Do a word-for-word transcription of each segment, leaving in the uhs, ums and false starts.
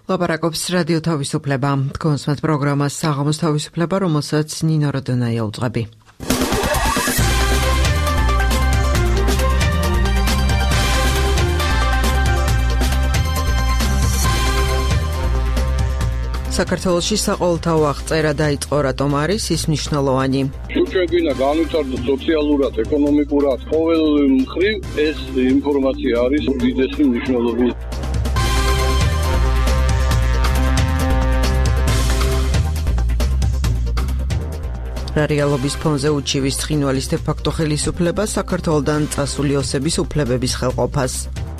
ლაპარაკობს რადიო თავისუფლება. კონსმეთ პროგრამას საღამოს თავისუფლება, რომელსაც ნინო როდონაია უძღვები. საქართველოში საყოველთაო აღწერა დაიწყო, რატომ არის ის მნიშვნელოვანი? შეგვიძლია განვითარდეს სოციალურად, ეკონომიკურად, ყოველ მხრივ ეს ინფორმაცია არის უდიდესი მნიშვნელობით. რეალობის ფონზე უჩივის ცხინვალის დე-ფაქტო ხელისუფლება საქართველოდან წასული ოსების უფლებების ხელყოფას.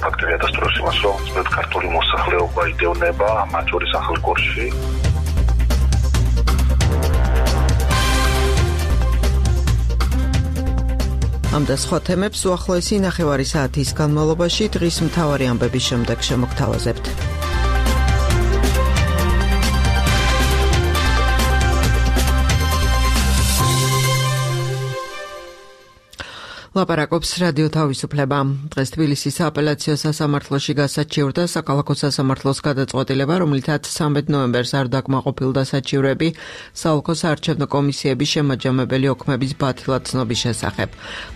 ფაქტია დასტუროს იმას, რომ ძველ ქართული მოსახლეობა იდეონება მათ შორის ახალ კურსში. ამ და სხვა თემებს უახლოესი ნახევარი საათის განმავლობაში დღის მთავარი ამბების შემდეგ შემოგთავაზებთ. ლაპარაკობს რადიო თავისუფლება. დღეს თბილისის სააპელაციო სასამართლოში გასაჩივრდა საქალაქო სასამართლოს გადაწყვეტილება, რომლითაც სამი ნოემბერს არ დაკმაყოფილდა საჩივრები საოლქო საარჩევნო კომისიების შემაჯამებელი ოქმების ბათილად ცნობის შესახებ.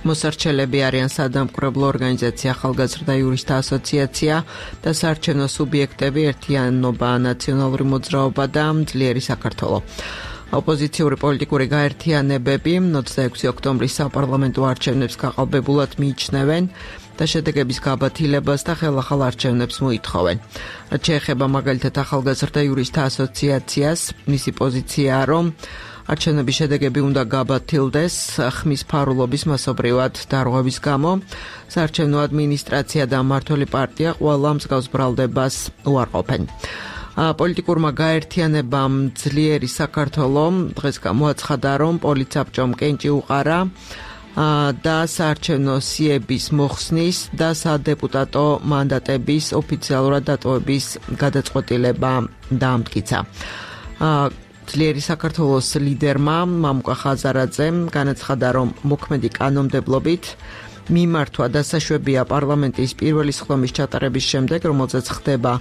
მოსარჩელები არიან სადამკვირვებლო ორგანიზაცია ახალგაზრდა იურისტთა ასოციაცია და საარჩევნო სუბიექტები ერთიანობა, ნაციონალური მოძრაობა და ძლიერი საქართველო. ოპოზიციური პოლიტიკური გაერთიანებები ოცდაექვსი ოქტომბრის საპარლამენტო არჩევნებს გაყალბებულად მიიჩნევენ და შედეგების გაბათილებას და ხელახალ არჩევნებს მოითხოვენ. რაც შეეხება მაგალითად ახალგაზრდა იურისტთა ასოციაციას, მისი პოზიციაა, რომ არჩევნების შედეგები უნდა გაბათილდეს ხმის ფარულობის მასობრივად დარღვევის გამო. საარჩევნო ადმინისტრაცია და მმართველი პარტია ყველა მსგავს ბრალდებას უარყოფენ. პოლიტიკურმა გაერთიანებამ ძლიერი საქართველო დღეს გამოაცხადა, რომ პოლიცაბჭომ კენჭი უყარა და საარჩევნო სიების მოხსნის და სადეპუტატო მანდატების ოფიციალურად დატოვების გადაწყვეტილება დაამტკიცა. ძლიერი საქართველოს ლიდერმა მამუკა ხაზარაძემ განაცხადა, რომ მოქმედი კანონმდებლობით მიმართვა დასაშვებია პარლამენტის პირველი სხდომის ჩატარების შემდეგ, რომელზეც ხდება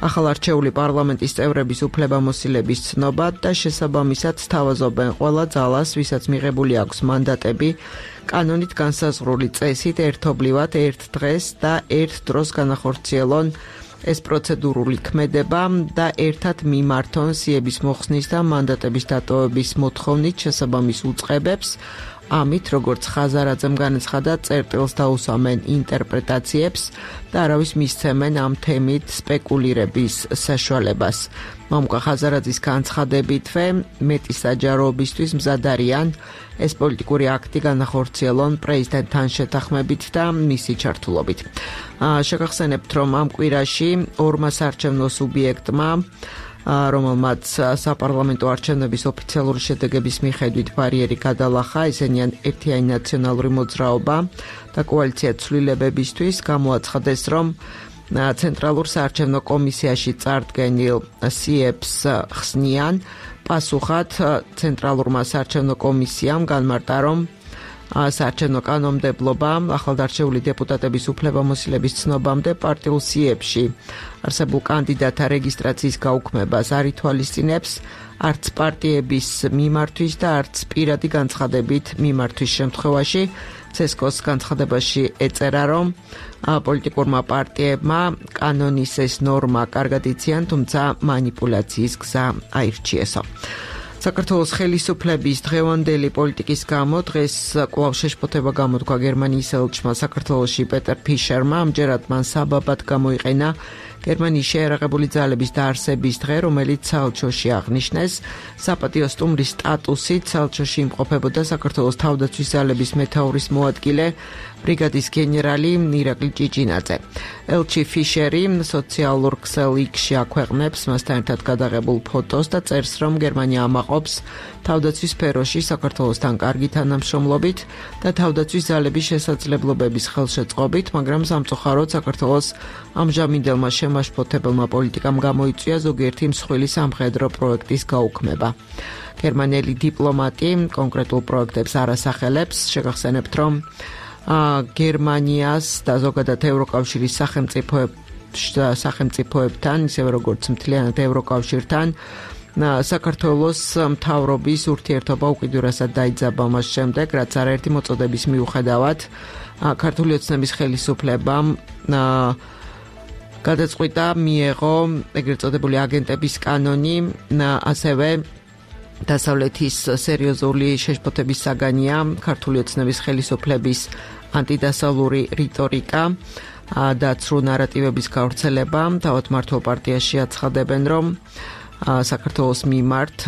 ახალარჩეული პარლამენტის წევრების უფლებამოსილების ცნობა და შესაბამისად სთავაზობენ ყველა ძალას, ვისაც მიღებული აქვს მანდატები, კანონით განსაზღვრული წესით ერთობლივად ერთ დღეს და ერთ დროს განახორციელონ ეს პროცედურული ქმედება და ერთად მიმართონ სიების მოხსნის და მანდატების დატოვების მოთხოვნით შესაბამის უწყებებს. ამით, როგორც ხაზარაძემ განაცხადა, წერტილს დაუსვამენ ინტერპრეტაციებს და არავის მისცემენ ამ თემით სპეკულირების საშუალებას. მამუკა ხაზარაძის განცხადებითვე მეტი საჯაროობისთვის მზად არიან ეს პოლიტიკური აქტი განახორციელონ პრეზიდენტთან შეთანხმებით და მისი ჩართულობით. შეგახსენებთ, რომ ამ კვირაში ორმა საარჩევნო სუბიექტმა რომელმაც საპარლამენტო არჩევნების ოფიციალური შედეგების მიხედვით ბარიერი გადალახა, ესენიან ერთიანი ნაციონალური მოძრაობა და კოალიცია ცვლილებებისთვის, გამოაცხადეს, რომ ცენტრალურ საარჩევნო კომისიაში წარდგენილ სიებს ხსნიან. პასუხად ცენტრალურმა საარჩევნო კომისიამ განმარტა, რომ საარჩევნო კანონმდებლობა ახალდარჩეული დეპუტატების უფლებამოსილების ცნობამდე პარტიულ სიებში არსებულ კანდიდატთა რეგისტრაციის გაუქმებას არ ითვალისწინებს არც პარტიების მიმართვის და არც პირადი განცხადებით მიმართვის შემთხვევაში. ცესკოს განცხადებაში ეწერა, რომ პოლიტიკურმა პარტიებმა კანონის ეს ნორმა კარგად იციან, თუმცა მანიპულაციის გზა აირჩიესო. საქართველოს ხელისუფლების დღევანდელი პოლიტიკის გამო დღეს კვლავ შეშფოთება გამოთქვა გერმანიის ელჩმა საქართველოში პეტერ ფიშერმა. ამჯერად მან საბაბად გამოიყენა გერმანიის შეიარაღებული ძალების დაარსების დღე, რომელიც საელჩოში აღნიშნეს. საპატიო სტუმრის სტატუსით საელჩოში იმყოფებოდა საქართველოს თავდაცვის ძალების მეთაურის მოადგილე ბრიგადის გენერალი ირაკლი ჭიჭინაძე. ელჩი ფიშერი სოციალურ ქსელ იქს-ში აქვეყნებს მასთან ერთად გადაღებულ ფოტოს და წერს, რომ გერმანია ამაყობს თავდაცვის სფეროში საქართველოსთან კარგი თანამშრომლობით და თავდაცვის ძალების შესაძლებლობების ხელშეწყობით, მაგრამ სამწუხაროდ საქართველოს ამჟამინდელმა შემაშფოთებელმა პოლიტიკამ გამოიწვია ზოგიერთი მსხვილი სამხედრო პროექტის გაუქმება. გერმანელი დიპლომატი კონკრეტულ პროექტებს არ ასახელებს. შეგახსენებთ, რომ გერმანიას და ზოგადად ევროკავშირის სახელმწიფოებს სახელმწიფოებთან, ისევე როგორც მთლიანად ევროკავშირთან. საქართველოს მთავრობის ურთიერთობა უკიდურესად დაიძაბა მას შემდეგ, რაც არაერთი მოწოდების მიუხედავად ქართული ოცნების ხელისუფლებამ გადაწყვიტა მიეღო ეგრეთ წოდებული აგენტების კანონი, ასევე დასავლეთის სერიოზული შეშფოთების საგანია ქართული ოცნების ხელისუფლების ანტიდასავლური რიტორიკა და ცრუ ნარატივების გავრცელება. თავად მართლ პარტიაში აცხადებენ, რომ საქართველოს მიმართ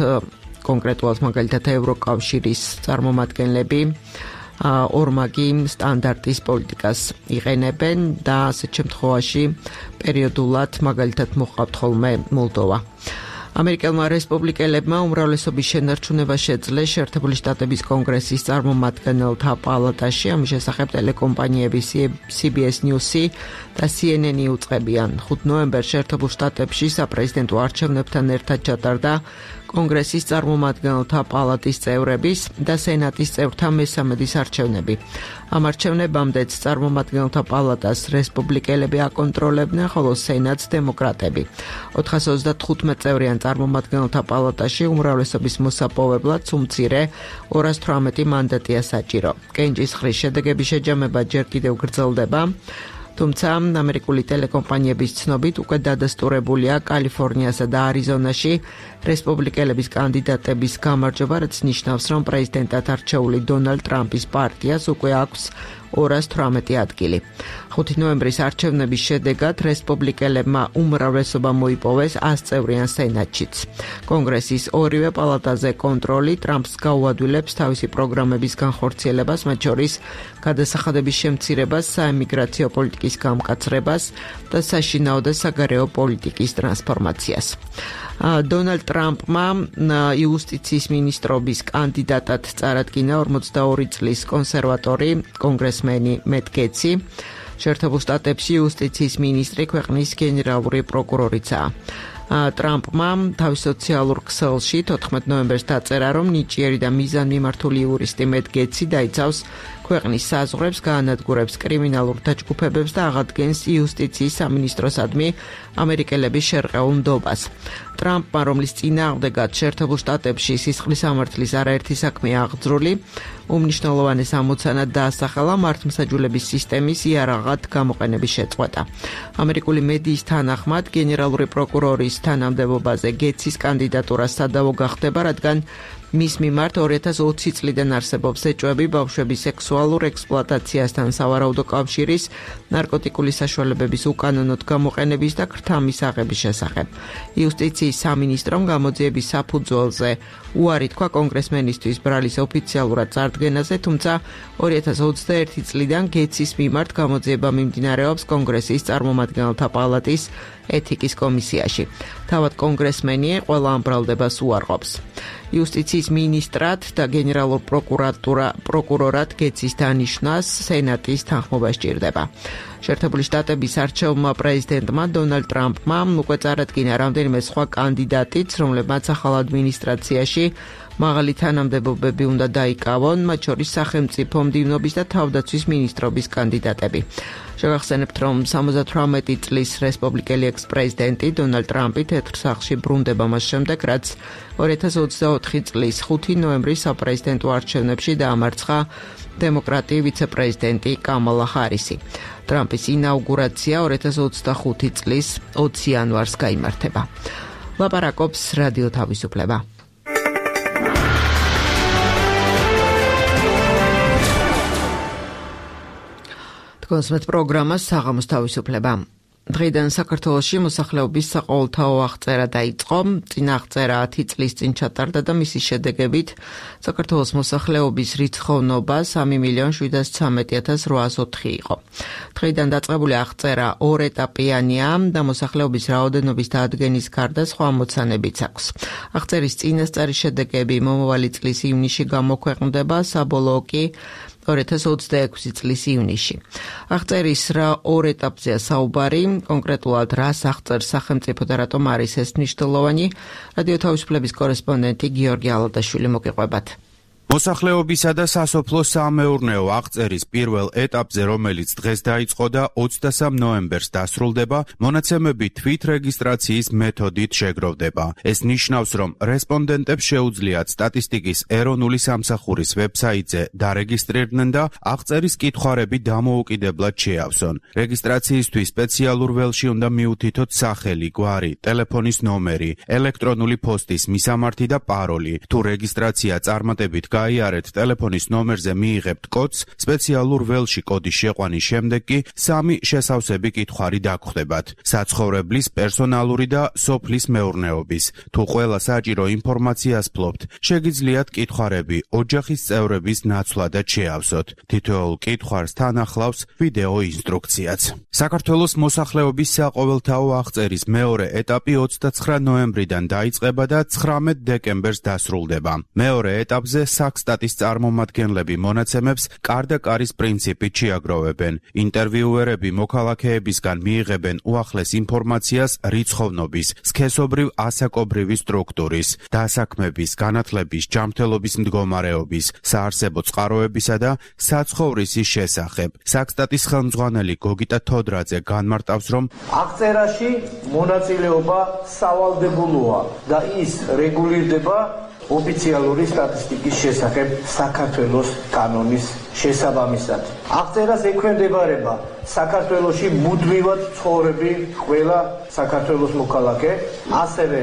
კონკრეტულად მაგალითად ევროკავშირის წარმომადგენლები ორმაგი სტანდარტის პოლიტიკას იყენებენ და ასეთ შემთხვევაში პერიოდულად მაგალითად მოჰყავთ ხოლმე მოლდოვა. ამერიკელმა რესპუბლიკელებმა უმრავლესობის შენარჩუნება შეძლეს შეერთებული შტატების კონგრესის წარმომადგენელთა პალატაში. ამის შესახებ ტელეკომპანიები C B S News-ი და C N N-ი უწყებიან. ხუთი ნოემბერს შეერთებულ შტატებში საპრეზიდენტო არჩევნებთან ერთად ჩატარდა კონგრესის წარმომადგენელთა პალატის წევრების და სენატის წევრთა მესამედის არჩევნები. ამ არჩევნებამდეც წარმომადგენელთა პალატას რესპუბლიკელები აკონტროლებდნენ, ხოლო სენატს დემოკრატები. ოთხას ოცდათხუთმეტ წევრიან წარმომადგენელთა პალატაში უმრავლესობის მოსაპოვებლად უმცირე ორას თვრამეტი მანდატია საჭირო. კენჭისყრის შედეგების შეჯამება ჯერ კიდევ გრძელდება. თუმცა ამერიკული ტელეკომპანიების ცნობით უკვე დადასტურებულია კალიფორნიასა და არიზონაში რესპუბლიკელების კანდიდატების გამარჯვება, რაც ნიშნავს, რომ პრეზიდენტად არჩეული დონალდ ტრამპის პარტიას უკვე აქვს ორას თვრამეტი ადგილი. ხუთი ნოემბრის არჩევნების შედეგად რესპუბლიკელებმა უმრავლესობა მოიპოვეს ას წევრიან სენატშიც. კონგრესის ორივე პალატაზე კონტროლი ტრამპს გაუადვილებს თავისი პროგრამების განხორციელებას, მათ შორის გადასახადების შემცირებას, საემიგრაციო პოლიტიკის გამკაცრებას და საშინაო და საგარეო პოლიტიკის ტრანსფორმაციას. დონალდ ტრამპმა იუსტიციის მინისტრობის კანდიდატად წარადგინა ორმოცდაორი წლის კონსერვატორი კონგრესმენი მეტ გეტსი. შეერთებულ შტატებში იუსტიციის მინისტრი ქვეყნის გენერალური პროკურორიცაა. ტრამპმა თავის სოციალურ ქსელში თოთხმეტ ნოემბერს დაწერა, რომ ნიჭიერი და მიზანმიმართული იურისტი მეტ გეტსი დაიცავს ქვეყნის საზღვრებს, გაანადგურებს კრიმინალურ დაჯგუფებებს და აღადგენს იუსტიციის სამინისტროსადმი ამერიკელების შერყეულ ნდობას. ტრამპმა, რომლის წინააღმდეგად შეერთებულ შტატებში სისხლის სამართლის არაერთი საქმეა აღძრული, უმნიშვნელოვანეს ამოცანად დაასახელა მართლმსაჯულების სისტემის იარაღად გამოყენების შეწყვეტა. ამერიკული მედიის თანახმად, გენერალური პროკურორის თანამდებობაზე გეტსის კანდიდატურა სადავო გახდება, რადგან მის მიმართ ორი ათას ოცი წლიდან არსებობს ეჭვები ბავშვების სექსუალურ ექსპლუატაციასთან, სავარაუდო კავშირის, ნარკოტიკული საშუალებების უკანონოდ გამოყენების და ქრთამის აღების შესახებ. იუსტიციის სამინისტრომ გამოძიების საფუძველზე უარი თქვა კონგრესმენისთვის ბრალის ოფიციალურად წარდგენაზე, თუმცა ორი ათას ოცდაერთი წლიდან გეტსის მიმართ გამოძიება მიმდინარეობს კონგრესის წარმომადგენელთა პალატის ეთიკის კომისიაში. თავად კონგრესმენი ყველა ამ ბრალდებას უარყოფს. იუსტიციის მინისტრად და გენერალურ პროკურორად გეტსის დანიშვნას სენატის თანხმობა სჭირდება. შეერთებული შტატების არჩეულმა პრეზიდენტმა დონალდ ტრამპმა უკვე წარადგინა რამდენიმე სხვა კანდიდატიც, რომლებმაც ახალ ადმინისტრაციაში მაღალი თანამდებობები უნდა დაიკავონ, მათ შორის სახელმწიფო მდივნობის და თავდაცვის მინისტრობის კანდიდატები. შევახსენებთ, რომ სამოცდათვრამეტი წლის რესპუბლიკელი ექს-პრეზიდენტი დონალდ ტრამპი თეთრ სახლში ბრუნდება მას შემდეგ, რაც ორი ათას ოცდაოთხი წლის ხუთი ნოემბრის საპრეზიდენტო არჩევნებში დაამარცხა დემოკრატი ვიცე-პრეზიდენტი კამალა ჰარისი. ტრამპის ინაუგურაცია ორი ათას ოცდახუთი წლის ოცი იანვარს გაიმართება. ლაპარაკობს რადიო თავისუფლება. კონსმეთ პროგრამას საღამოს თავისუფლება. დღეიდან საქართველოში მოსახლეობის საყოველთაო აღწერა დაიწყო. წინა აღწერა ათი წლის წინ ჩატარდა და მისი შედეგებით საქართველოს მოსახლეობის რიცხოვნობა სამი მილიონი შვიდას ცხრამეტი ათას რვაას ოთხი იყო. დღეიდან დაწყებული აღწერა ორეტაპიანია და მოსახლეობის რაოდენობის დაადგენის გარდა სხვა ამოცანებიც აქვს. აღწერის წინასწარი შედეგები მომავალი წლის ივნისში გამოქვეყნდება, საბოლოო კი ორი ათას ოცდაექვსი წლის ივნისში. აღწერის რა ორ ეტაპზეა საუბარი, კონკრეტულად რას აღწერს სახელმწიფო და რატომ არის ეს მნიშვნელოვანი, რადიო თავისუფლების კორესპონდენტი გიორგი ალადაშვილი მოგიყვებათ. მოსახლეობისა და სასოფლო-სამეურნეო აღწერის პირველ ეტაპზე, რომელიც დღეს დაიწყო და ოცდასამ ნოემბერს დასრულდება, მონაცემები თვითრეგისტრაციის მეთოდით შეგროვდება. ეს ნიშნავს, რომ რესპონდენტებს შეუძლიათ სტატისტიკის ეროვნული სამსახურის ვებსაიტზე დარეგისტრირდნენ და აღწერის კითხვარები დამოუკიდებლად შეავსონ. რეგისტრაციისთვის სპეციალურ ველში უნდა მიუთითოთ სახელი, გვარი, ტელეფონის ნომერი, ელექტრონული პოსტის მისამართი და პაროლი. თუ რეგისტრაცია წარმატებით გაიარეთ, ტელეფონის ნომერზე მიიღებთ კოდს, სპეციალურ ველში კოდის შეყვანის შემდეგ კი სამი შესავსები კითხვარი დაგხვდებათ: საცხოვრებლის, პერსონალური და სოფლის მეურნეობის. თუ ყველა საჭირო ინფორმაციას ფლობთ, შეგიძლიათ კითხვარები ოჯახის წევრების ნაცვლადაც შეავსოთ. თითოეულ კითხვარს თან ახლავს ვიდეო ინსტრუქციაც. საქართველოს მოსახლეობის საყოველთაო აღწერის მეორე ეტაპი ოცდაცხრა ნოემბრიდან დაიწყება და ცხრამეტ დეკემბერს დასრულდება. მეორე ეტაპზე საქსტატის წარმომადგენლები მონაცემებს კარ-და-კარის პრინციპით შეაგროვებენ. ინტერვიუერები მოქალაქეებისგან მიიღებენ უახლეს ინფორმაციას რიცხოვნობის, სქესობრივ ასაკობრივი სტრუქტურის, დასაქმების, განათლების, ჯანმრთელობის მდგომარეობის, საარსებო წყაროებისა და საცხოვრისის შესახებ. საქსტატის ხელმძღვანელი გოგიტა თოდრაძე განმარტავს, რომ აღწერაში მონაწილეობა სავალდებულოა და ის რეგულირდება ოფიციალური სტატისტიკის შესახებ საქართველოს კანონის შესაბამისად. აღწერას ექვემდებარება საქართველოში მუდმივად ცხოვრები ყველა საქართველოს მოქალაქე, ასევე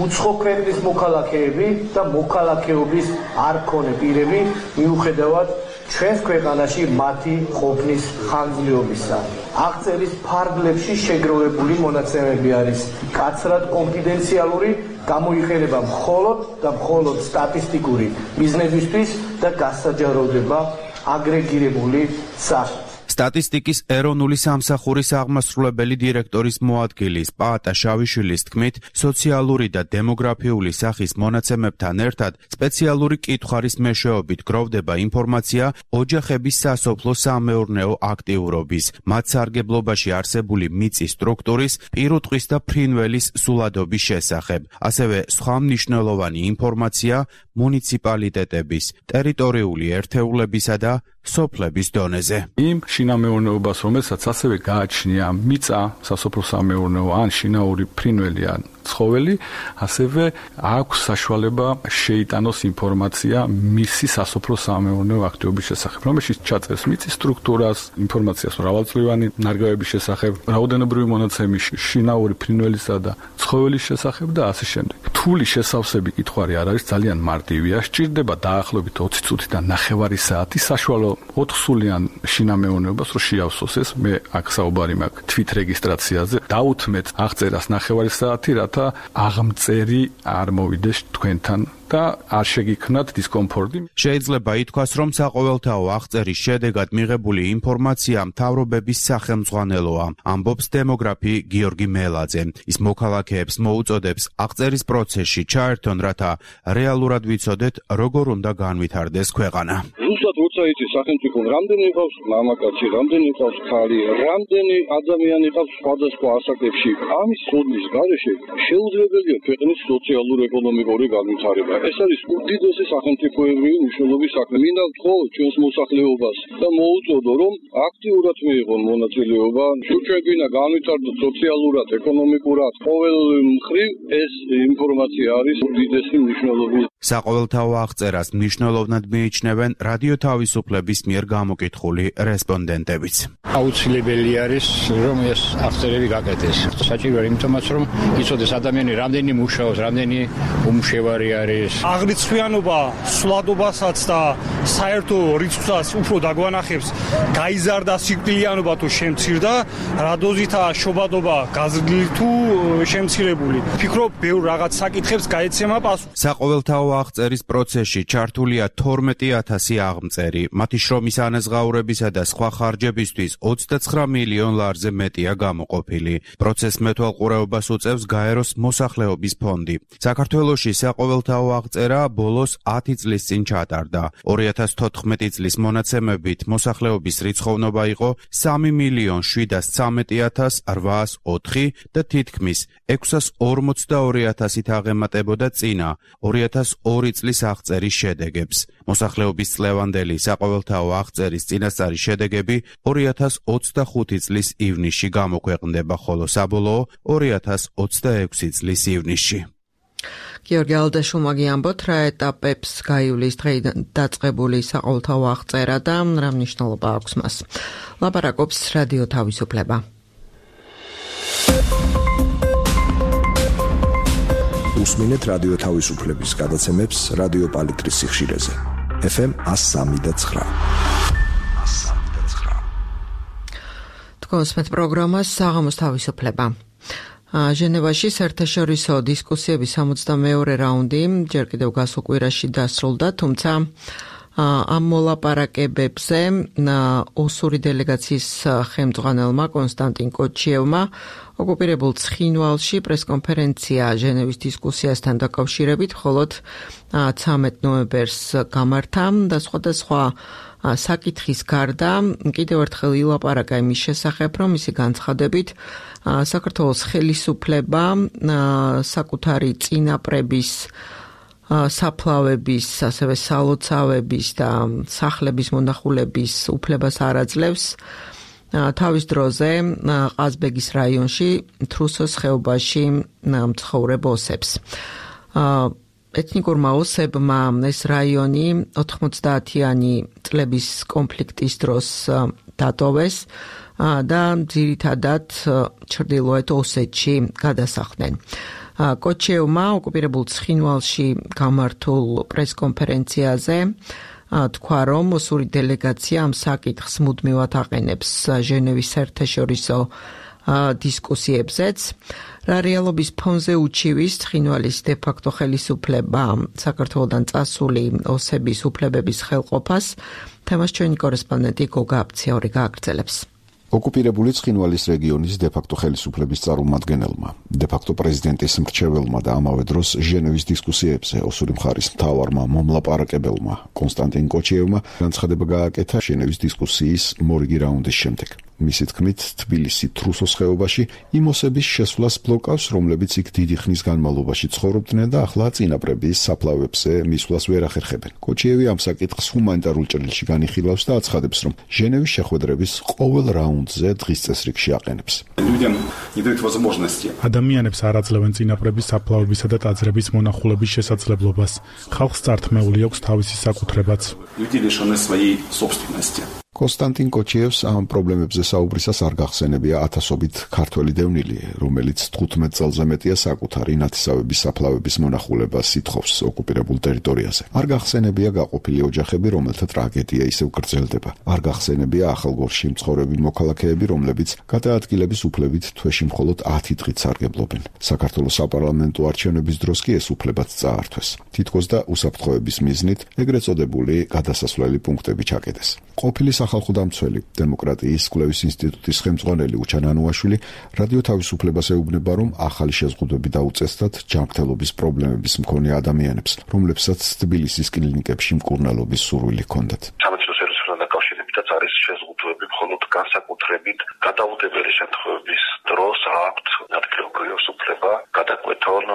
უცხო ქვეყნის მოქალაქეები და მოქალაქეობის არ მქონე პირები, მიუხედავად ჩვენს ქვეყანაში მათი ყოფნის ხანგრძლივობისა. აღწერის ფარგლებში შეგროვებული მონაცემები არის კაცრად კონფიდენციალური, გამოიყენება მხოლოდ და მხოლოდ სტატისტიკური მიზნებისთვის და გასაჯაროვდება აგრეგირებული სახით. სტატისტიკის ეროვნული სამსახურის აღმასრულებელი დირექტორის მოადგილის პაატა შავიშვილის თქმით, სოციალური და დემოგრაფიული სახის მონაცემებთან ერთად სპეციალური კითხვარის მეშვეობით გროვდება ინფორმაცია ოჯახების სასოფლო-სამეურნეო აქტიურობის, მათ სარგებლობაში არსებული მიწის სტრუქტურის, პირუტყვის და ფრინველის სულადობის შესახებ, ასევე სხვა მნიშვნელოვანი ინფორმაცია მუნიციპალიტეტების, ტერიტორიული ერთეულებისა და სოფლების დონეზე. იმ შინამეურნეობას, რომელსაც ასევე გააჩნია მიწა, სასოფლო-სამეურნეო ან შინაური ფრინველი ან ცხოველი, ასევე აქვს საშუალება შეიტანოს ინფორმაცია მისი სასოფლო-სამეურნეო აქტივობის შესახებ, რომელშიც ჩაწერს მიწის სტრუქტურას, ინფორმაციას მრავალწლოვანი ნარგავების შესახებ, რაოდენობრივი მონაცემი შინაური ფრინველისა და ცხოველის შესახებ და ასე შემდეგ. რთული შესავსები კითხვარი არ არის, ძალიან მარტივია, სჭირდება დაახლოებით ოცი წუთი და ნახევარი საათი საშუალო ოთხსულიან შინამეურნეობას რო შეავსოს ეს, მე აქ საუბარი მაქვს თვითრეგისტრაციაზე, დაუთმეთ აღწერას ნახევარი საათი, რათა აღმწერი არ მოვიდეს თქვენთან და არ შეგიქმნათ დისკომფორტი. შეიძლება ითქვას, რომ საყოველთაო აღწერის შედეგად მიღებული ინფორმაცია მთავრობების სახელმძღვანელოა, ამბობს დემოგრაფი გიორგი მელაძე. ის მოქალაქეებს მოუწოდებს აღწერის პროცესში ჩაერთონ, რათა რეალურად ვიცოდეთ, როგორ უნდა განვითარდეს ქვეყანა. ზუსტად როცა იცის სახელმწიფო რამდენი ყავს მამაკაცი, რამდენი ყავს ქალი, რამდენი ადამიანი ყავს სხვადასხვა ასაკებში, ამის ცოდნის გარეშე შეუძლებელია ქვეყნის სოციალურ-ეკონომიკური განვითარება. ეს არის უდიდესი სახელმწიფოებრივი მნიშვნელობის საქმე. მინდა ვთხოვ ჩვენს მოსახლეობას და მოუწოდო, რომ აქტიურად მიიღონ მონაწილეობა. თუ ჩვენ გვინდა განვითარდეთ სოციალურად, ეკონომიკურად, ყოველ მხრივ ეს ინფორმაცია არის უდიდესი მნიშვნელობის. საყოველთაო აღწერას მნიშვნელოვნად მიიჩნევენ რადიო თავისუფლების მიერ გამოკითხული რესპონდენტებიც. აუცილებელი არის, რომ ეს აღწერები გაკეთდეს. საჭიროა იმიტომაც, რომ იცოდეს ადამიანი რამდენი მუშაობს, რამდენი უმშევარი არის. აღრიცხვიანობა სვლადობასაც და საერთო რიცხვსაც უფრო დაგვანახებს, გაიზარდა სიკვდილიანობა თუ შემცირდა, რა დოზითაა შობადობა გაზრდილი თუ შემცირებული. ფიქრობ, ბევრ რაღაც საკითხებს გაეცემა პასუხი. საყოველთაო აღწერის პროცესში ჩართულია თორმეტი ათასი აღმწერი, მათი შრომის ანაზღაურებისა და სხვა ხარჯებისთვის ოცდაცხრა მილიონ ლარზე მეტია გამოყოფილი. პროცესს მეთვალყურეობას უწევს გაეროს მოსახლეობის ფონდი. საქართველოში საყოველთაო აღწერა ბოლოს ათი წლის წინ ჩატარდა. ორი ათას თოთხმეტი წლის მონაცემებით მოსახლეობის რიცხოვნობა იყო სამი მილიონ შვიდას ცამეტი ათას რვაას ოთხი და თითქმის ექვსას ორმოცდაორი ათასით აღემატებოდა წინა ორი ათას ორი წლის აღწერის შედეგებს. მოსახლეობის წლევანდელი საყოველთაო აღწერის წინასწარი შედეგები ორი ათას ოცდახუთი წლის ივნისში გამოქვეყნდება, ხოლო საბოლოო ორი ათას ოცდაექვსი წლის ივნისში. გიორგი ალდაშულმა გიამბოთ, რა ეტაპებს გაივლის დღეიდან დაწყებული საყოველთაო აღწერა და რა მნიშვნელობა აქვს მას. ლაპარაკობს რადიო თავისუფლება. უსმინეთ რადიო თავისუფლების გადაცემებს რადიო პალიტრის სიხშირეზე. ეფ ემ εκατო სამი და ცხრა. თქვენს მეტ პროგრამას საღამოს თავისუფლება. ჟენევაში საერთაშორისო დისკუსიების სამოცდამეორე რაუნდი ჯერ კიდევ გასულ კვირაში დასრულდა, თუმცა ამ მოლაპარაკებებზე ოსური დელეგაციის ხელმძღვანელმა კონსტანტინ კოჩიევმა ოკუპირებულ ცხინვალში პრესკონფერენცია ჟენევის დისკუსიასთან დაკავშირებით მხოლოდ ცამეტ ნოემბერს გამართა და სხვადასხვა საკითხის გარდა კიდევ ერთხელ ილაპარაკა იმის შესახებ, რომ მისი განცხადებით საქართველოს ხელისუფლება საკუთარი წინაპრების საფლავების, ასევე სალოცავების და სახლების მონახულების უფლებას არ აძლევს. თავის დროზე ყაზბეგის რაიონში თრუსოს ხეობაში მცხოვრებ ოსებს. ეთნიკურმა ოსებმა ეს რაიონი ოთხმოცდაათიანი წლების კონფლიქტის დროს დატოვეს და ძირითადად ჩრდილოეთ ოსეთში გადასახლდნენ. კოჩიევმა ოკუპირებულ ცხინვალში გამართულ პრესკონფერენციაზე თქვა, რომ ოსური დელეგაცია ამ საკითხს მუდმივად აყენებს ჟენევის საერთაშორისო დისკუსიებზეც. რა რეალობის ფონზე უჩივის ცხინვალის დე-ფაქტო ხელისუფლება საქართველოდან წასული ოსების უფლებების ხელყოფას, თემას ჩვენი კორესპონდენტი გოგა აფციური გააგრძელებს. ოკუპირებული ცხინვალის რეგიონის დე-ფაქტო ხელისუფლების წარმომადგენელმა, დე-ფაქტო პრეზიდენტის მრჩეველმა და ამავე დროს ჟენევის დისკუსიებზე ოსური მხარის მთავარმა მომლაპარაკებელმა კონსტანტინ კოჩიევმა განცხადება გააკეთა ჟენევის დისკუსიის მორიგი რაუნდის შემდეგ. მისი თქმით, თბილისი თრუსოს ხეობაში იმ ოსების შესვლას ბლოკავს, რომლებიც იქ დიდი ხნის განმავლობაში ცხოვრობდნენ და ახლა წინაპრების საფლავებზე მისვლას ვერ ახერხებენ. კოჩიევი ამ საკითხს ჰუმანიტარულ ჭრილში განიხილავს და აცხადებს, რომ ჟენევის შეხვედრების ყოველ რაუნდზე დღის წესრიგში აყენებს. ადამიანებს არ აძლევენ წინაპრების საფლავებისა და ტაძრების მონახულების შესაძლებლობას. ხალხს წართმეული აქვს თავისი საკუთრებაც. კონსტანტინ კოჩიევს ამ პრობლემებზე საუბრისას არ გახსენებია ათასობით ქართველი დევნილი, რომელიც თხუთმეტ წელზე მეტია საკუთარი ნათესავების საფლავების მონახულებას ითხოვს ოკუპირებულ ტერიტორიაზე. არ გახსენებია გაყოფილი ოჯახები, რომელთა ტრაგედია ისევ გრძელდება. არ გახსენებია ახალგორში მცხოვრები მოქალაქეები, რომლებიც გადაადგილების უფლებით თვეში მხოლოდ ათი დღით სარგებლობენ. საქართველოს საპარლამენტო არჩევნების დროს კი ეს უფლებაც წაართვეს. თითქოს და უსაფრთხოების მიზნით ეგრეთ წოდებული გადასასვლელი პუნქტები ჩაკეტეს. ყოფილი სახალხო დამცველი დემოკრატიის კვლევის ინსტიტუტის ხელმძღვანელი უჩან ანუაშვილი რადიო თავისუფლებას ეუბნება, რომ ახალი შეზღუდვები დაუწესდათ ჯანმრთელობის პრობლემების მქონე ადამიანებს, რომლებსაც თბილისის კლინიკებში მკურნალობის სურვილი ჰქონდათ. დაკავშირებითაც არის შეზღუდვები მხოლოდ განსაკუთრებით გადაუდებელი შემთხვევების დროს აქვთ ადგილობრივებს უფლება გადაკვეთონ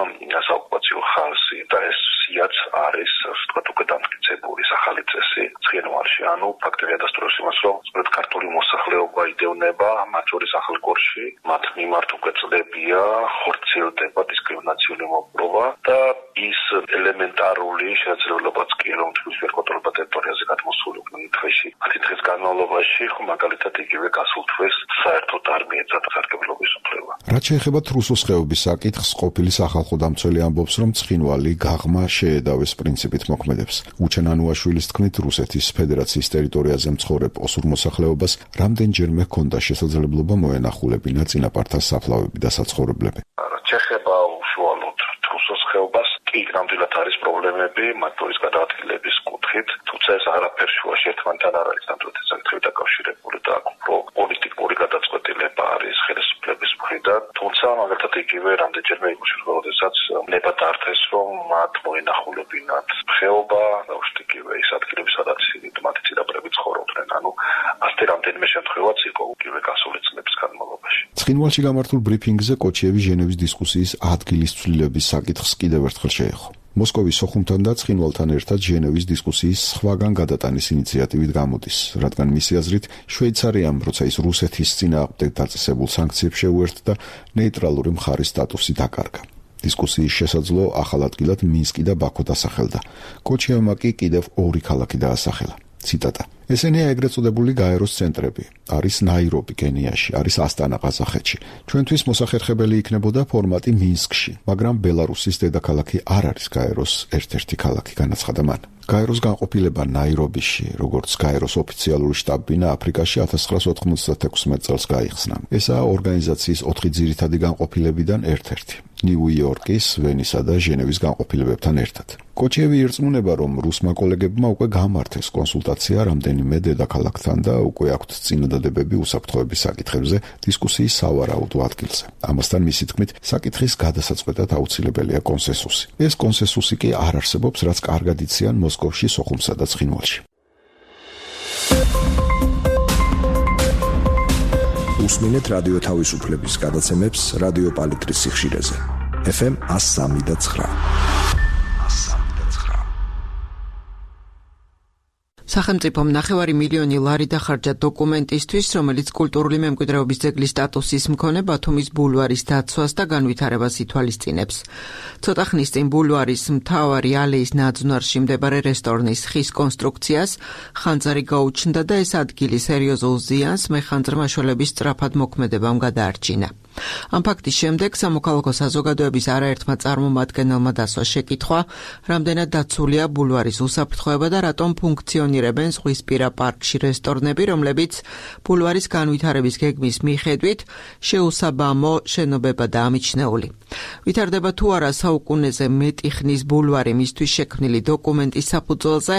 საოკუპაციო ხალხი და ეს სიაც არის ვთქვათ უკვე დამტკიცებული ახალი წესი ცხინვალში. ანუ ფაქტია დასტურებს იმას, რომ სწორედ ქართული მოსახლეობა იდევნება, მათ შორის ახალგორში, მათ მიმართ უკვე წლებია, ხორციელდება დისკრიმინაციული მოპყრობა და ის ელემენტარული შესაძლებლობაც კი რომ თვითონ ვერკოტრობა ტერიტორიაზე გადმოსული დღეში ათი დღის განმავლობაში ხო მაგალითად იგივე გასულ თვეს საერთოდ არ მიეცათ სარგებლობის უფლება. რაც შეეხება თრუსოს ხეობის საკითხს, ყოფილი სახალხო დამცველი ამბობს, რომ ცხინვალი გაღმა შეედავეს პრინციპით მოქმედებს. უჩან ანუაშვილის თქმით, რუსეთის ფედერაციის ტერიტორიაზე მცხოვრებ ოსურ მოსახლეობას რამდენჯერმე ჰქონდა შესაძლებლობა მოენახულებინა წინაპართა საფლავები და საცხოვრებლები. რაც შეეხება უშუალოდ თრუსოს ხეობას, კი ნამდვილად არის პრობლემები მათ შორის გადაადგილების კუთხით, თუმცა ეს არაფერ შუაში ერთმანეთთან არ არის ნამდვილად საკითხები დაკავშირებული და უფრო პოლიტიკური გადაწყვეტილება არის ხელისუფლების მხრიდან, თუმცა მაგალითად იგივე რამდენჯერმე იგივე როდესაც ნება დართეს, რომ მათ მოენახულებინათ ხეობა, უშტიკივე ის ადგილები, სადაც მათი წინაპრები ცხოვრობდნენ, ანუ ასეთი რამდენიმე შემთხვევაც იყო იგივე გასული წლების განმავლობაში. ცხინვალში გამართულ ბრიფინგზე კოჩიევი ჟენევის დისკუსიის ადგილის ცვლილების საკითხს კიდევ ერთხელ შეეხო. მოსკოვის სოხუმთან და ცხინვალთან ერთად ჟენევის დისკუსიის სხვაგან გადატანის ინიციატივით გამოდის, რადგან მისი აზრით შვეიცარიამ, როცა ის რუსეთის წინააღმდეგ დაწესებულ სანქციებს შეუერთდა, ნეიტრალური მხარის სტატუსი დაკარგა. დისკუსიის შესაძლო ახალ ადგილად მინსკი და ბაქო დასახელდა. კოჩიევმა კი კიდევ ორი ქალაქი დაასახელა. ციტატა. ესენია ეგრეთ წოდებული გაეროს ცენტრები. არის ნაირობი კენიაში, არის ასტანა ყაზახეთში. ჩვენთვის მოსახერხებელი იქნებოდა ფორმატი მინსკში, მაგრამ ბელარუსის დედაქალაქი არ არის გაეროს ერთ-ერთი ქალაქი, განაცხადა მან. გაეროს განყოფილება ნაირობიში, როგორც გაეროს ოფიციალური შტაბ-ბინა აფრიკაში ათას ცხრაას ოთხმოცდათექვსმეტ წელს გაიხსნა. ესაა ორგანიზაციის ოთხი ძირითადი განყოფილებიდან ერთ-ერთი. ნიუ-იორკის, ვენისა და ჟენევის განყოფილებებთან ერთად. კოჩიევი ირწმუნება, რომ რუსმა კოლეგებმა უკვე გამართეს კონსულტაცია რამდენიმე დედაქალაქთან და უკვე აქვთ წინადადებები უსაფრთხოების საკითხებზე დისკუსიის სავარაუდო ადგილზე. ამასთან მისი თქმით, საკითხის გადასაწყვეტად აუცილებელია კონსენსუსი. ეს კონსენსუსი კი არ არსებობს, რაც კარგად იციან მოსკოვში, სოხუმსა და ცხინვალში. უსმინეთ რადიო თავისუფლების გადაცემებს რადიო პალიტრის სიხშირეზე. ეფ ემ one oh three point nine. სახელმწიფომ ნახევარი მილიონი ლარი დახარჯა დოკუმენტისთვის, რომელიც კულტურული მემკვიდრეობის ძეგლის სტატუსის მქონე ბათუმის ბულვარის დაცვას და განვითარებას ითვალისწინებს. ცოტა ხნის წინ ბულვარის მთავარი ალეის ნაძვნარში მდებარე რესტორნის ხის კონსტრუქციას ხანძარი გაუჩნდა და ეს ადგილი სერიოზულ ზიანს მეხანძრ მაშველების სწრაფად მოქმედებამ გადაარჩინა. ამ ფაქტის შემდეგ სამოქალაქო საზოგადოების არაერთმა წარმომადგენელმა დასვა შეკითხვა, რამდენად დაცულია ბულვარის უსაფრთხოება და რატომ ფუნქციონირებენ ზღვისპირა პარკში რესტორნები, რომლებიც ბულვარის განვითარების გეგმის მიხედვით შეუსაბამო შენობებადაა ამიჩნეული. ვითარდება თუ არა საუკუნეზე მეტი ხნის ბულვარი მისთვის შექმნილი დოკუმენტის საფუძველზე,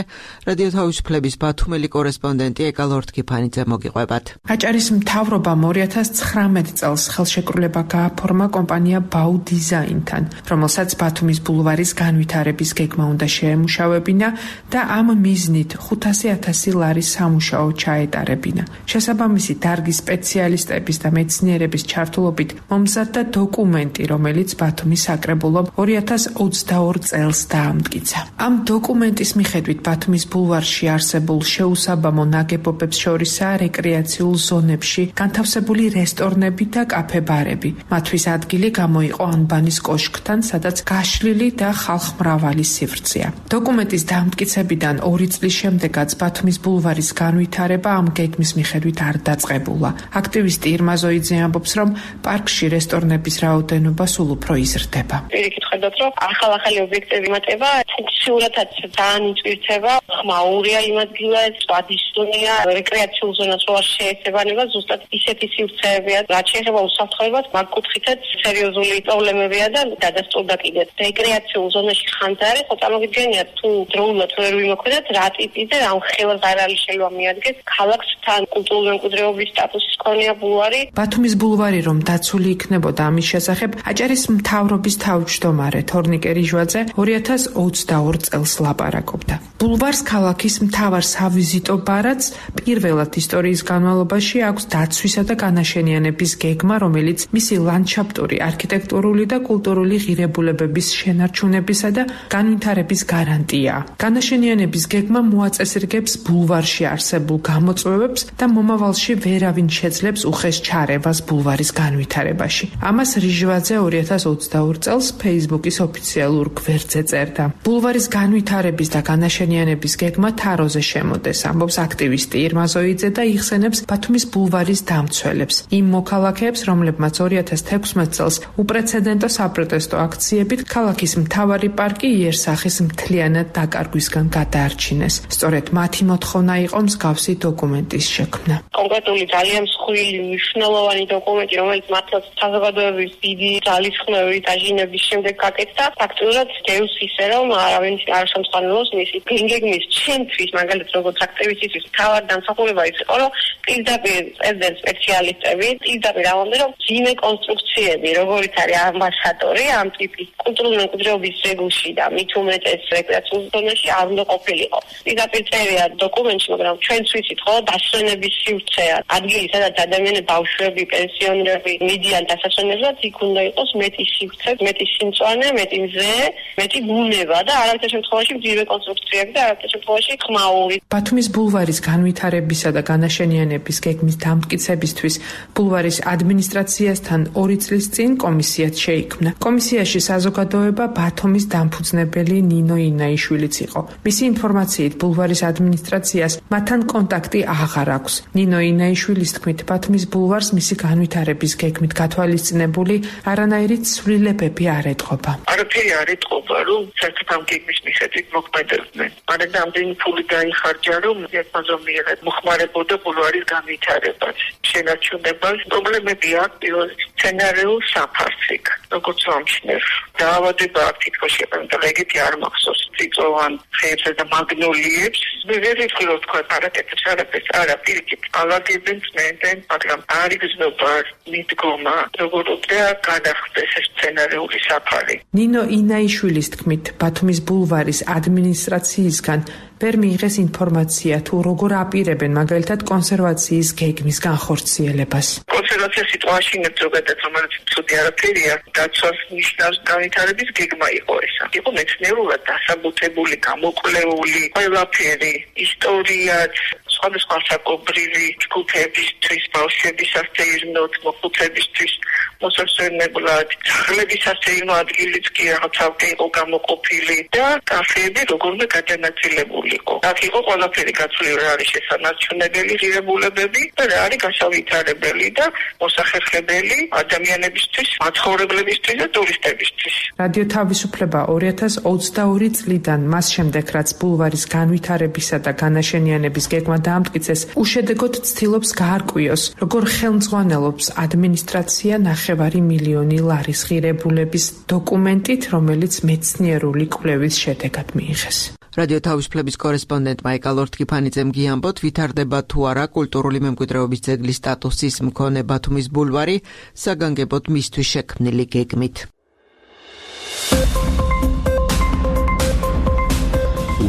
რადიო თავისუფლების ბათუმელი კორესპონდენტი ეკა ლორთქიფანიძე მოგიყვებათ. აჭარის მთავრობამ ორი ათას ცხრამეტ წელს ხელშეკრულება გააფორმა კომპანია ბაუ დიზაინთან, რომელსაც ბათუმის ბულვარის განვითარების გეგმა უნდა შეემუშავებინა და ამ მიზნით ხუთასი ათასი ლარის სამუშაო ჩაეტარებინა. შესაბამისი დარგის სპეციალისტების და მეცნიერების ჩართულობით მომზადდა დოკუმენტი, რომელიც ბათუმის საკრებულომ ორი ათას ოცდაორ წელს დაამტკიცა. ამ დოკუმენტის მიხედვით ბათუმის ბულვარში არსებულ შეუსაბამო ნაგებობებს შორისაა რეკრეაციულ ზონებში განთავსებული რესტორნები და კაფე-ბარები. მათთვის ადგილი გამოიყო ანბანის კოშკთან, სადაც გაშლილი და ხალხმრავალი სივრცეა. დოკუმენტის დამტკიცებიდან ორი წლის შემდეგაც ბათუმის ბულვარის განვითარება ამ გეგმის მიხედვით არ დაწყებულა. აქტივისტი ირმა ზოიძე ამბობს, რომ პარკში რესტორნების რაოდენობა სულ უფრო იზრდება. პირიქით ხედავთ, რომ ახალ-ახალი ობიექტები მატება, ფუნქციურადაც ძალიან იწვირდება, ხმაურია იმ ადგილას, სვადისტონია, რეკრეაციულ ზონას რო არ შეესაბამება, ზუსტად ისეთი სივრცეებია, რაც შეეხება უსაფრთხოებას, მაგ კუთხითაც სერიოზული პრობლემებია და დადასტურდა კიდეც. რეკრეაციულ ზონაში ხანძარი, ხო წარმოგიდგენიათ, თუ დროულად ვერ ვიმოქმედოთ, რა ტიპის და რა ხელს არ არის შეიძლება მიადგეს ქალაქს თან კულტურული მემკვიდრეობის სტატუსის მქონეა ბულვარი. ბათუმის ბულვარი რომ დაცული იქნებოდა, ამის შესახებ აჭარის მთავრობის თავმჯდომარე თორნიკე რიჟვაძე ორი ათას ოცდაორ წელს ლაპარაკობდა. ბულვარს ქალაქის მთავარ სავიზიტო ბარათს პირველად ისტორიის განმავლობაში აქვს დაცვისა და განაშენიანების გეგმა, რომელიც მისი ლანდშაფტური, არქიტექტურული და კულტურული ღირებულებების შენარჩუნებისა და განვითარების გარანტია. განაშენიანების გეგმა მოაწესრიგებს ბულვარში არსებულ გამოწვევებს და მომავალში ვერავინ შეძლებს უხეშ ჩარევას ბულვარის განვითარებაში. ამას რიჟვაძე ორი ათას ოცდაორ წელს Facebook-ის ოფიციალურ გვერდზე წერდა. ბულვარის განვითარების და განაშენიანების გეგმა თაროზე შემოდეს, ამბობს აქტივისტი ირმა ზოიძე და იხსენებს ბათუმის ბულვარის დამცველებს. იმ მოქალაქეებს, რომლებმაც ორი ათას თექვსმეტ წელს უპრეცედენტო საპროტესტო აქციებით ქალაქის მთავარი პარკი იერსახის მთლიანად დაკარგვისგან გადაარჩინეს. სწორედ მათი მოთხოვნა იყო მსგავსი დოკუმენტის შექმნა. კონკრეტული ძალიან მსხვილი მნიშვნელოვანი დოკუმენტი, რომელიც მართლაც საზოგადოების დიდი ძალისხმევით დაჟინების შემდეგ გაკეთდა, ფაქტურად დევს ისე, რომ არავინ არ შემწყნელობს მისი გეგმის ჩემთვის, მაგალითად როგორც აქტივისტისთვის, თავად დამსახურება ის იყო, რომ პირდაპირ წერდნენ სპეციალისტები, პირდაპირ ამბობდნენ, რომ ვინმე კონსტრუქციები, როგორიც არის ამბასადორი ამ ტიპის კულტურული მემკვიდრეობის ძეგლში და მით უმეტეს რეკრეაციულ ზონაში არ უნდა ყოფილიყო. პირდაპირ წერია დოკუმენტში, მაგრამ ჩვენც ვიცით ხო, დასვენების სივრცეა. ადგილი, სადაც ადამიანები, ბავშვები, პენსიონერები მიდიან დასასვენებლად, იქ უნდა იყოს მეტი სივრცე, მეტი სიმწვანე, მეტი მზე, მეტი ბუნება და არაერთი შემთხვევაში მძიმე კონსტრუქციები და არაერთი შემთხვევაში ხმაური. ბათუმის ბულვარის განვითარებისა და განაშენიანების გეგმის დამტკიცებისთვის ბულვარის ადმინისტრაციასთან ორი წლის წინ კომისიაც შეიქმნა. კომისიაში საზოგადოება ბათუმის დამფუძნებელი ნინო ინაიშვილიც იყო. მისი ინფორმაციით ბულვარის ადმინისტრაციას მათთან კონტაქტი აღარ აქვს. ნინო ინაიშვილის თქმით, ბათუმის ბულვარს მისი განვითარების გეგმით გათვალისწინებული არანაირი ცვლილებები არ ეტყობა. არაფერი არ ეტყობა, რომ საერთოდ ამ გეგმის მიხედვით მოქმედებდნენ. მაგრამ ამდენი ფული გაიხარჯა, რომ ერთმანწომიერად მოხმარებოდა ბულვარის განვითარებას. შენარჩუნებას პრობლემები აქვს პირველ სცენარიულ საფარსიქ, როგორც ამჩნევ. დაავადება აქვს თითქოს შეფერდა, ეგეთი არ მახსოვს. წიწოვან ხეებზე და მაგნოლიებს. მე ვერ ვიტყვი რომ თქვა არაკეთებს არაფერს, არა პირიქით. ალაგებენ წმენდენ, მაგრამ არ იგრძნობა მიდგომა, როგორ უნდა გადახდეს ეს სცენარიული საფარი. ნინო ინაიშვილის თქმით, ბათუმის ბულვარის ადმინისტრაციისგან ვერ მიიღეს ინფორმაცია თუ როგორ აპირებენ მაგალითად კონსერვაციის გეგმის განხორციელებას. კონსერვაცია სიტუაციაში ზოგადად რომელიც ცუდი არაფერია, დაცვას ნიშნავს განვითარების გეგმა იყო ესა. იყო მეცნიერულად დასაბუთებული, გამოკვლეული, ყველაფერი, ისტორიაც, სხვადასხვა საკობრივი ჯგუფებისთვის, ბავშვების სასეირნოდ, მოხუცებისთვის, მოსასვენებლად, სახლების სასეირნო ადგილიც კი რაღაცავე იყო გამოყოფილი და კაფეები როგორმე გადანაწილებული. აქ იყო ყველაფერი გაცვლილი, რა არის შესანარჩუნებელი ღირებულებები და რა არის გასავითარებელი და მოსახერხებელი ადამიანებისთვის, მაცხოვრებლებისთვის და ტურისტებისთვის. რადიო თავისუფლება ორი ათას ოცდაორი წლიდან მას შემდეგ, რაც ბულვარის განვითარებისა და განაშენიანების გეგმა დაამტკიცეს, უშედეგოდ ცდილობს გაარკვიოს, როგორ ხელმძღვანელობს ადმინისტრაცია ნახევარი მილიონი ლარის ღირებულების დოკუმენტით, რომელიც მეცნიერული კვლევის შედეგად მიიღეს. რადიო თავისუფლების კორესპონდენტმა ეკალორთქიფანიძემ გიამბოთ, ვითარდება თუ არა კულტურული მემკვიდრეობის ძეგლის სტატუსის მქონე ბათუმის ბულვარი საგანგებოდ მისთვის შექმნილი გეგმით.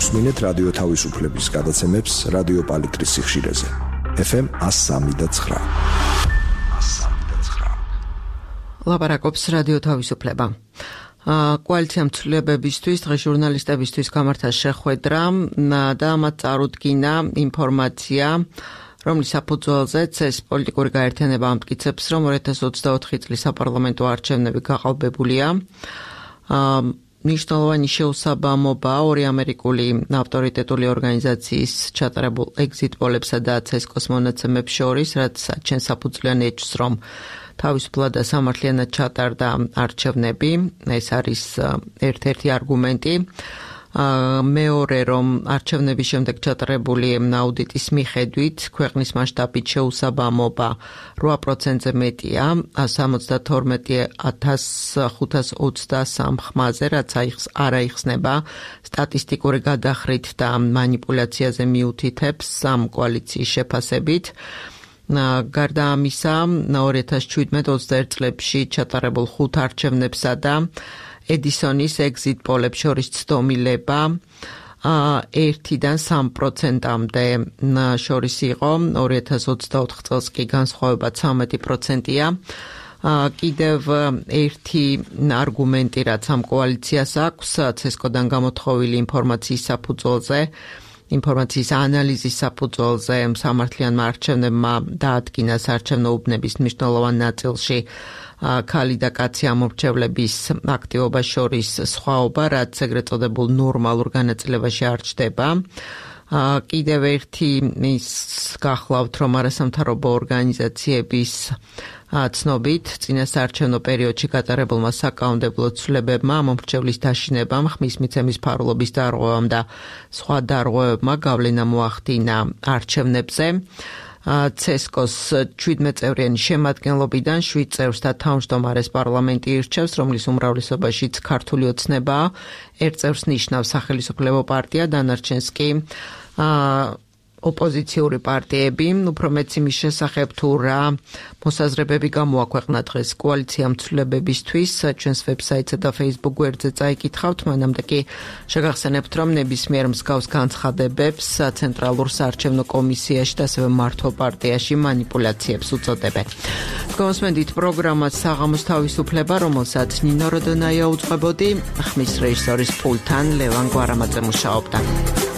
უსმინეთ რადიო თავისუფლების გადაცემებს რადიო პალიტრის სიხშირეზე. ეფ ემ one oh three point nine. ლაპარაკობს რადიო თავისუფლება. კოალიცია მცვლილებებისთვის, დღეს ჟურნალისტებისთვის გამართა შეხვედრა და მათ წარუდგინა ინფორმაცია, რომლის საფუძველზეც ეს პოლიტიკური გაერთიანება ამტკიცებს, რომ ორი ათას ოცდაოთხი წლის საპარლამენტო არჩევნები გაყალბებულია. მნიშვნელოვანი შეუსაბამობა ორი ამერიკული ავტორიტეტული ორგანიზაციის ჩატარებულ ეგზიტ პოლებსა და ცესკოს მონაცემებს შორის, რაც საჩენ საფუძვლიან ეჭვს, რომ თავისუფლად და სამართლიანად ჩატარდა არჩევნები. ეს არის ერთ-ერთი არგუმენტი. მეორე, რომ არჩევნების შემდეგ ჩატარებული აუდიტის მიხედვით ქვეყნის მასშტაბით შეუსაბამობა რვა პროცენტზე მეტია სამოცდათორმეტი ათას ხუთას ოცდასამ ხმაზე, რაც არ აიხსნება სტატისტიკური გადახრით და მანიპულაციაზე მიუთითებს ამ კოალიციის შეფასებით. გარდა ამისა, ორი ათას შვიდმეტ ოცდაერთ წლებში ჩატარებულ ხუთ არჩევნებსა და ედისონის ეგზიტ პოლებს შორის ცდომილება ერთიდან სამ პროცენტამდე შორის იყო, ორი ათას ოცდაოთხ წელს კი განსხვავება ცამეტი პროცენტია. კიდევ ერთი არგუმენტი, რაც ამ კოალიციას აქვს, ცესკოდან გამოთხოვილი ინფორმაციის საფუძველზე, ინფორმაციის ანალიზის საფუძველზე სამართლიანმა არჩევნებმა დაადგინა საარჩევნო უბნების მნიშვნელოვან ნაწილში ქალი და კაცი ამორჩევლების აქტივობას შორის სხვაობა, რაც ეგრეთ წოდებულ ნორმალურ განაწილებაში არ ჩნდება. კიდევ ერთი ის გახლავთ, რომ არასამთავრობო ორგანიზაციების ცნობით წინა საარჩევნო პერიოდში გატარებულმა საკანონმდებლო ცვლილებებმა, მომრჩევლის დაშინებამ, ხმის მიცემის ფარულობის დარღვევამ და სხვა დარღვევებმა გავლენა მოახდინა არჩევნებზე. ცესკოს შვიდმეტ წევრიანი შემადგენლობიდან შვიდ წევრს და თავმჯდომარეს პარლამენტი ირჩევს, რომლის უმრავლესობაშიც ქართული ოცნებაა. ერთ წევრს ნიშნავს სახელმწიფო პარტია, დანარჩენს კი ოპოზიციური პარტიები, უფრო მეც იმის შესახებ თუ რა მოსაზრებები გამოაქვეყნა დღეს კოალიციამ ცვლილებებისთვის, ჩვენს ვებსაიტსა და Facebook გვერდზე წაიკითხავთ, მანამდე კი შეგახსენებთ, რომ ნებისმიერ მსგავს განცხადებებს ცენტრალურ საარჩევნო კომისიაში და ასევე მართლ პარტიაში манипуляციებს უწოდებენ. Თქვენსმენდით პროგრამას საღამოს თავისუფლება, რომელსაც ნინო როდონაია უძღვებოდი, ხმის რეჟისორის პულტთან ლევან გვარამაძე მუშაობდა.